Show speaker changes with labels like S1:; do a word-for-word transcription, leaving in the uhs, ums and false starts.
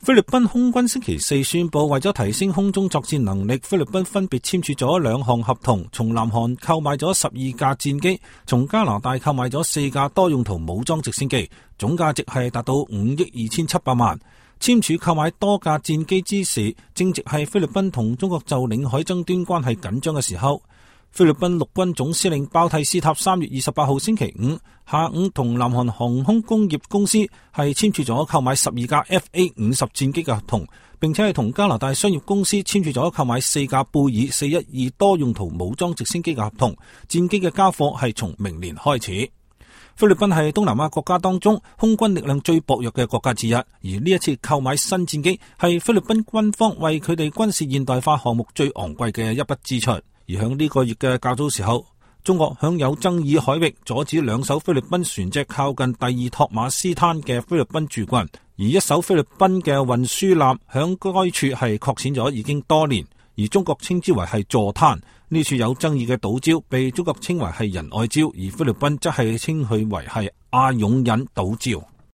S1: 菲律賓空軍星期四宣布，為咗提升空中作戰能力，菲律賓分別簽署咗兩項合同，從南韓購買咗十二架戰機，從加拿大購買咗四架多用途武裝直升機，總價值係達到五億二千七百萬。簽署購買多架戰機之時，正值係菲律賓同中國就領海爭端關係緊張嘅時候。菲律賓陸軍總司令包蒂斯塔三月二十八號星期五下午同南韓航空工業公司係簽署咗購買十二架 F A 五十戰機嘅合同，並且係同加拿大商業公司簽署咗購買四架貝爾四一二多用途武裝直升機嘅合同，戰機嘅交貨係從明年開始。菲律賓係東南亞國家當中空軍力量最薄弱嘅國家之一，而呢一次購買新戰機係菲律賓軍方為佢哋軍事現代化項目最昂貴嘅一筆支出。而響呢個月嘅較早時候，中國響有爭議海域阻止兩艘菲律賓船隻靠近第二托馬斯灘嘅菲律賓駐軍，而一艘菲律賓嘅運輸艦響該處係擱淺咗已經多年，而中國稱之為係坐灘。呢處有爭議嘅島礁被中國稱為係仁愛礁，而菲律賓則係稱佢為係阿勇引島礁。